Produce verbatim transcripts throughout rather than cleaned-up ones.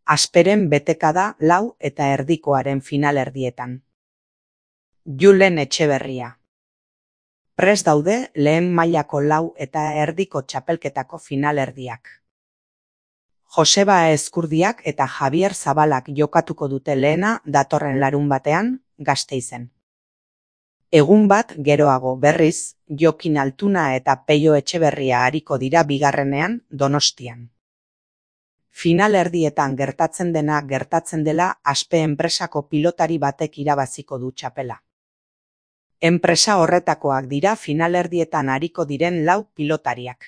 Asperen beteka da lau eta erdikoaren finalerdietan. Julen Etxeberria. Prest daude lehen mailako lau eta erdiko txapelketako finalerdiak. Joseba Ezkurdiak eta Javier Zabalak jokatuko dute lehena datorren larunbatean, Gasteizen. Egun bat geroago berriz, Jokin Altuna eta Peio Etxeberria ariko dira bigarrenean Donostian. Finalerdietan gertatzen dena gertatzen dela Aspe enpresako pilotari batek irabaziko du txapela. Enpresa horretakoak dira finalerdietan ariko diren lau pilotariak.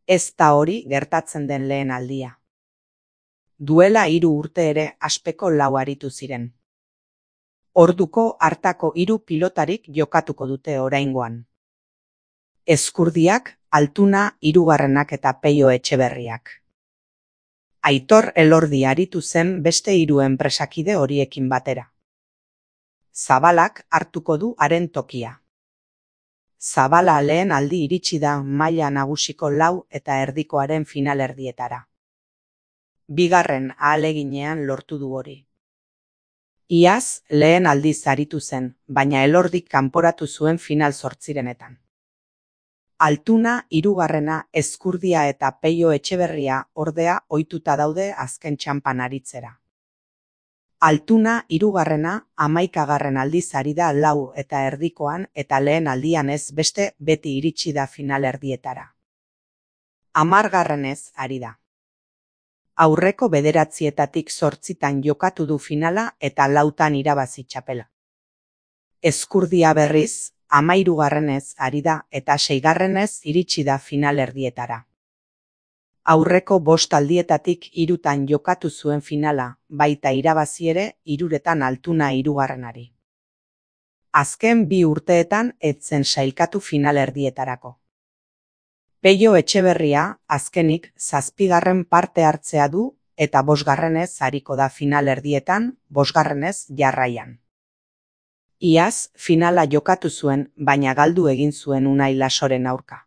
Ez da hori gertatzen den lehen aldia. Duela hiru urte ere Aspeko lau aritu ziren. Orduko hartako hiru pilotarik jokatuko dute oraingoan. Ezkurdiak, Altuna, hirugarrenak eta Peio Etxeberriak. Aitor Elordi aritu zen beste hiru enpresakide horiekin batera. Zabalak hartuko du haren tokia. Zabala lehen aldi iritsi da maila nagusiko lau eta erdikoaren finalerdietara. Bigarren ahaleginean lortu du hori. Iaz lehen aldiz aritu zen, baina Elordik kanporatu zuen final zortzirenetan. Altuna, hirugarrena, Ezkurdia eta Peio Etxeberria ordea ohituta daude azken txanpan aritzera. Altuna, hirugarrena, hamaikagarren aldiz ari da lau eta erdikoan eta lehen aldian ez beste beti iritsi da finalerdietara. Hamargarrenez ari da. Aurreko bederatzietatik zortzitan jokatu du finala eta lautan irabazi txapela. Ezkurdia berriz, hamairugarrenez ari da eta seigarrenez iritsi da finalerdietara. Aurreko bost aldietatik hirutan jokatu zuen finala, baita irabazi ere hiruretan Altuna hirugarrenari. Azken bi urteetan ez zen sailkatu finalerdietarako. Peio Etxeberria azkenik zazpigarren parte hartzea du eta bosgarrenez ariko da finalerdietan, bosgarrenez jarraian. Iaz finala jokatu zuen, baina galdu egin zuen Unai Lasoren aurka.